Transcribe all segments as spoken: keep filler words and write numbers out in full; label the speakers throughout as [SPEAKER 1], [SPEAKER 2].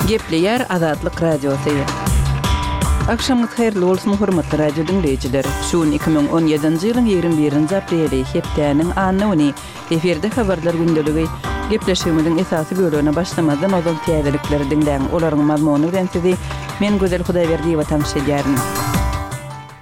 [SPEAKER 1] Gepleýär Azatlyk Radiosy. Agşamyňyz haýyrly bolsun, hormatly radio diňleýjiler. Şu gün iki müň on ýedinji ýylyň ýigrimi birinji apreli, hepdäniň anna güni. Efirde habarlar gündeligi. Gepleşigimiziň esasy bölegine başlamazdan ozal täzelikleri diňläň. Olaryň mazmuny bilen sizi men Gözel Hudaýberdiýewa tanyş edýärin.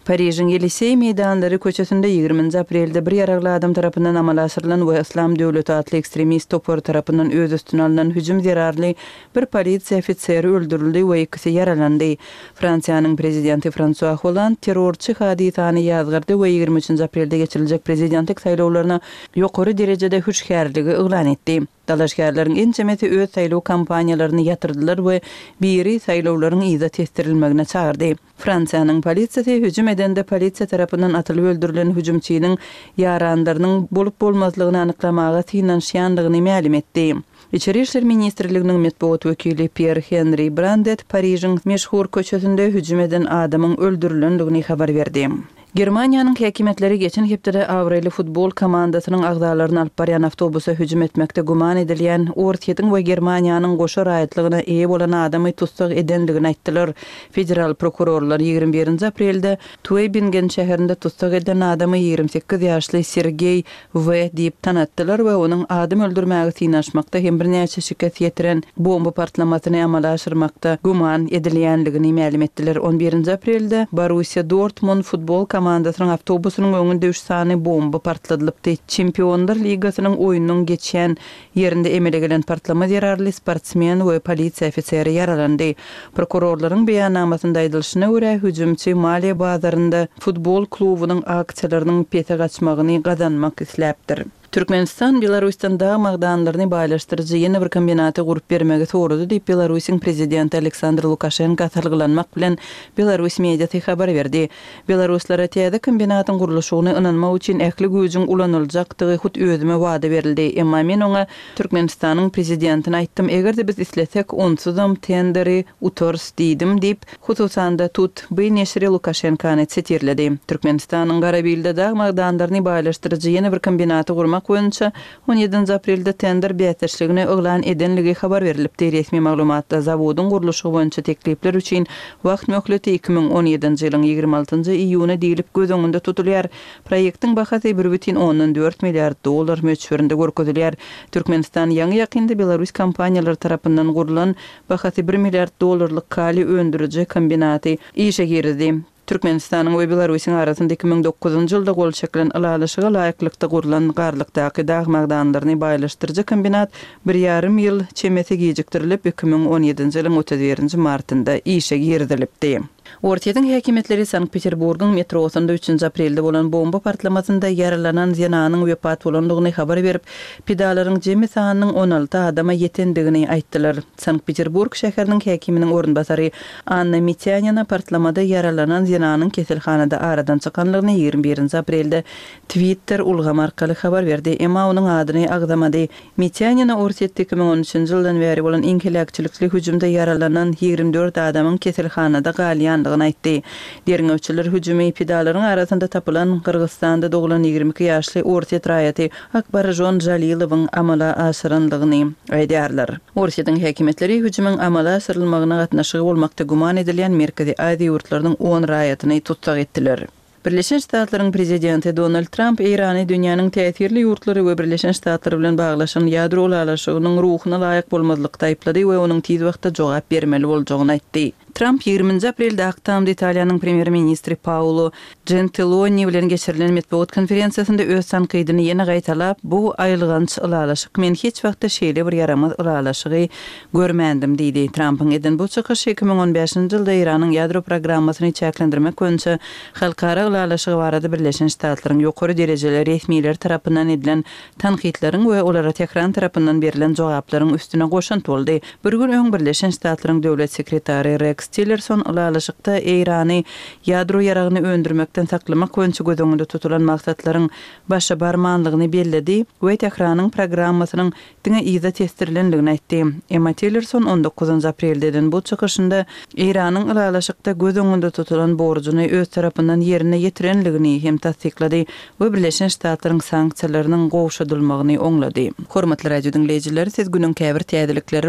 [SPEAKER 1] Parižiň Ýeliseý meýdanlary köçesinde ýigriminji aprelde bir ýaragly adam tarapyndan amala aşyrylan we Yslam döwleti atly ekstremist topary tarapyndan öz üstüne alnan hüjüm zerarly bir polisiýa ofiseri öldürildi we ikisi ýaralandy. Fransiýanyň prezidenti Fransua Holland terrorçy hadysany ýazgardy we ýigrimi üçünji aprelde geçiriljek prezidentlik saýlawlaryna ýokary derejede hüşgärligi yglan etdi. Dalaşgärleriň ençemesi öz saýlaw kampaniýalaryny ýatyrdylar we biri saýlawlaryň yza tesdirilmegine çagyrdy. Fransiýanyň polisiýasy hüjüm edende polisiýa tarapyndan atylyp öldürilen hüjümçiniň ýaranlarynyň bolup-bolmazlygyny anyklamaga synanyşýandygyny mälim etdi. Içeri işler ministrliginiň metbugat wekili Pýer Henri Brandet Parižiň meşhur köçesinde hüjüm eden adamyň öldürilendigini habar berdi. Germaniýanyň häkimiýetleri geçen hepdede abraýly futbol komandasynyň agzalaryny alyp barýan awtobusa hüjüm etmekde güman edilýän Orsýetiň we Germaniýanyň goşa raýatlygyna eýe bolan adamy tussag edendigini aýtdylar. Federal prokurorlar ýigrimi birinji aprelde Tuebingen şäherinde tussag edilen adamy ýigrimi sekiz ýaşly Sergeý W. diýip tanatdylar we onuň adam öldürmäge synanyşmakda hem birnäçe şikes ýetiren bomba partlamasyny amala aşyrmakda güman edilýänligini mälim etdiler. On birinji aprelde Borussiýa Dortmund futbol komandasynyň awtobusynyň öňünde üç sany bomba partladylypdy. Çempionlar ligasynyň oýnunyň geçýän ýerinde emele gelen partlama zerarly sportsmen we polisiýa ofiseri ýaralandy. Prokurorlaryň beýannamasynda aýdylyşyna görä, hüjümçi maliýe bazarynda futbol klubunyň aksiýalarynyň pese gaçmagyny gazanmak isläpdir. Türkmenistan Belarusdan dag magdanlaryny baýlaşdyryjy ýene bir kombinaty gurup bermegi sorady diýip, Belarusyň prezidenti Aleksandr Lukaşenko salgylanmak bilen Belarus mediasy habar berdi. Belaruslara täze kombinatyň gurluşygyny ynanmak üçin ähli güýjüň ulanyljakdygy hut özüme wada berildi. Emma men oňa Türkmenistanyň prezidentine aýtdym, eger-de biz islesek, onsuzam tenderi utarys diýdim diýip, hususan-da Tut B neşiri Lukaşenkony sitirledi. Türkmenistanyň Garabilde dag magdanlaryny baýlaşdyryjy ýene bir kombinaty gurmak boýunça on ýedinji aprelde tender bäsdeşligini yglan edenligi habar berilipdi. Resmi maglumatda zawodyň gurluşygy boýunça teklipler üçin wagt möhleti iki müň on ýedinji ýylyň ýigrimi altynjy iýuny diýlip göz öňünde tutulýar. Proýektiň bahasy bir bütin ondan dört milliard dollar möçberinde görkezilýär. Türkmenistan ýaňy ýakynda Belarus kompaniýalary tarapyndan gurlan bahasy bir milliard dollarlyk kaliý öndüriji kombinaty işe girizdi. Türkmenistanyň we Belarusyň arasynda iki müň dokuzynjy ýylda gol çekilen ylalaşyga laýyklykda gurlan Garlykdaky dag magdanlaryny baýlaşdyryjy kombinat bir ýarym ýyl çemesi gijikdirilip, iki müň on ýedinji ýylyň otuz birinji martynda işe girizilipdi. Orsýetiň häkimiýetleri Sankt-Peterburgyň metrosynda üçünji aprelde bolan bomba partlamasynda ýaralanan zenanyň wepat bolandygyny habar berip, pidalaryň jemi sanynyň on alty adama ýetendigini aýtdylar. Sankt-Peterburg şäheriniň häkiminiň orunbasary Anna Mitýanina partlamada ýaralanan zenanyň keselhanada aradan çykanlygyny ýigrimi birinji aprelde Twitter ulgamy arkaly habar berdi, emma onuň adyny agzamady. Mitýanina Orsýetde iki müň on üçünji ýyldan bäri bolan iň heläkçilikli hüjümde ýaralanan ýigrimi dört adamyň keselhanada galýandygyny aýtdy. Derňewçiler hüjümi pidalaryň arasynda tapylan Gyrgyzystanda doglan ýigrimi iki ýaşly orsýet raýaty Akbarjon Jalilowyň amala aşyrandygyny aýdýarlar. Orsýetiň häkimiýetleri hüjümiň amala aşyrylmagyna gatnaşygy bolmakda güman edilýän Merkezi Aziýa ýurtlarynyň on raýatyny tussag etdiler. Birleşen Ştatlaryň prezidenti Donald Tramp Eýrany dünýäniň täsirli ýurtlary we Birleşen Ştatlary bilen baglaşan ýadro ylalaşygynyň ruhuna laýyk bolmazlykda aýyplady we onuň tiz wagtda jogap bermeli boljagyny aýtdy. Tramp ýigriminji aprelde Ak Tamda Italiýanyň premýer-ministri Paolo Gentiloni bilen geçirilen metbugat konferensiýasynda öz tankydyny ýene gaýtalap, Bu aýylganç ylalaşyk, men hiç wagtda şeýle bir ýaramaz ylalaşygy görmändim diýdi. Trampyň eden bu çykyşy iki müň on bäşinji ýylda Eýranyň ýadro programmasyny çäklendirmek boýunça halkara ylalaşygy barada Birleşen Ştatlaryň ýokary derejeli resmileri tarapyndan edilen tankytlaryň we olara Tehran tarapyndan berlen jogaplaryň üstüne goşant boldy. Bir gün öň Birleşen Ştatlaryň döwlet sekretary Reks Tillerson ylalaşykda Eýrany ýadro ýaragyny öndürmekden saklamak boýunça göz öňünde tutulan maksatlaryň başa barmanlygyny belledi we Tehranyň programmasynyň diňe yza tesdirilendigini aýtdy. Emma Tillerson on dokuzynjy aprelde eden bu çykyşynda Eýranyň ylalaşykda göz öňünde tutulan borjuny öz tarapyndan ýerine ýetirenligini hem tassyklady we Birleşen Ştatlaryň sanksiýalarynyň gowşadylmagyny oňlady. Hormatly radio diňleýjiler, siz günüň käbir täzelikleri